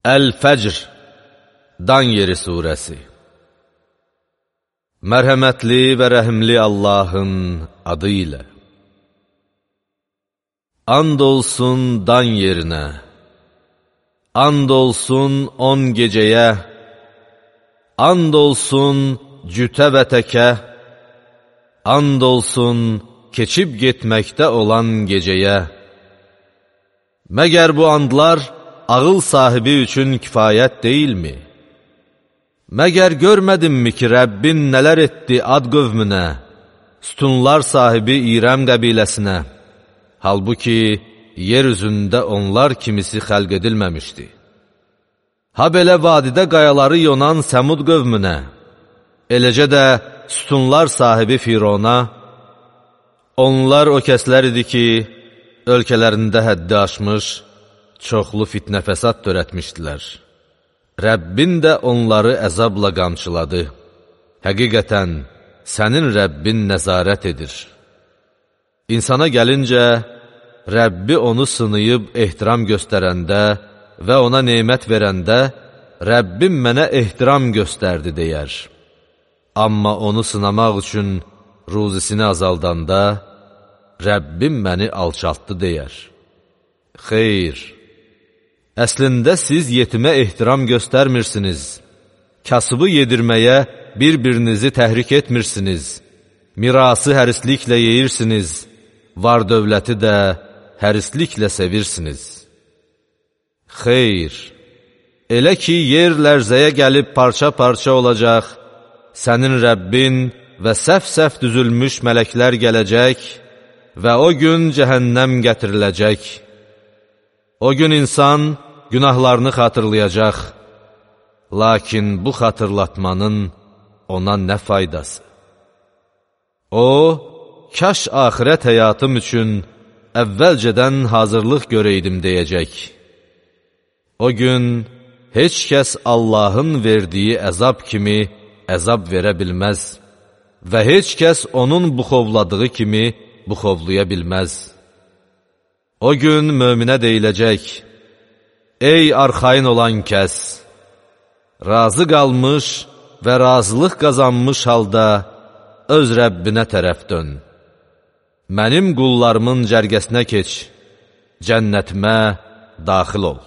Əl-Fəcr, Dan yeri surəsi. Mərhəmətli və rəhimli Allahın adı ilə. And olsun dan yerinə, and olsun 10 gecəyə, and olsun cütə və təkə, and olsun keçib getməkdə olan gecəyə. Məgər bu andlar ağıl sahibi üçün kifayət deyilmi? Məgər görmədinmi ki, Rəbbin nələr etdi Ad qövmünə, sütunlar sahibi İrəm qəbiləsinə? Halbuki, yer üzündə onlar kimisi xəlq edilməmişdi. Ha belə vadidə qayaları yonan Səmud qövmünə, eləcə də sütunlar sahibi Firona, onlar o kəslər idi ki, ölkələrində həddi aşmış, çoxlu fitnə fəsad törətmişdilər. Rəbbin də onları əzabla qamçıladı. Həqiqətən, sənin Rəbbin nəzarət edir. İnsana gəlincə, Rəbbi onu sınayıb ehtiram göstərəndə və ona nemət verəndə, Rəbbim mənə ehtiram göstərdi deyər. Amma onu sınamaq üçün ruzisini azaldanda, Rəbbim məni alçaltdı deyər. Xeyr, əslində siz yetimə ehtiram göstərmirsiniz, kasıbı yedirməyə bir-birinizi təhrik etmirsiniz, mirası hərisliklə yeyirsiniz, var dövləti də hərisliklə sevirsiniz. Xeyr, elə ki, yer lərzəyə gəlib parça-parça olacaq, sənin Rəbbin və səhv-səhv düzülmüş mələklər gələcək və o gün cəhənnəm gətiriləcək. O gün insan günahlarını xatırlayacaq, lakin bu xatırlatmanın ona nə faydası? O, kaş axirət həyatım üçün əvvəlcədən hazırlıq görəydim deyəcək. O gün heç kəs Allahın verdiyi əzab kimi əzab verə bilməz və heç kəs onun buxovladığı kimi buxovlaya bilməz. O gün möminə deyiləcək, ey arxayın olan kəs, razı qalmış və razılıq qazanmış halda öz Rəbbinə tərəf dön. Mənim qullarımın cərgəsinə keç, cənnətimə daxil ol.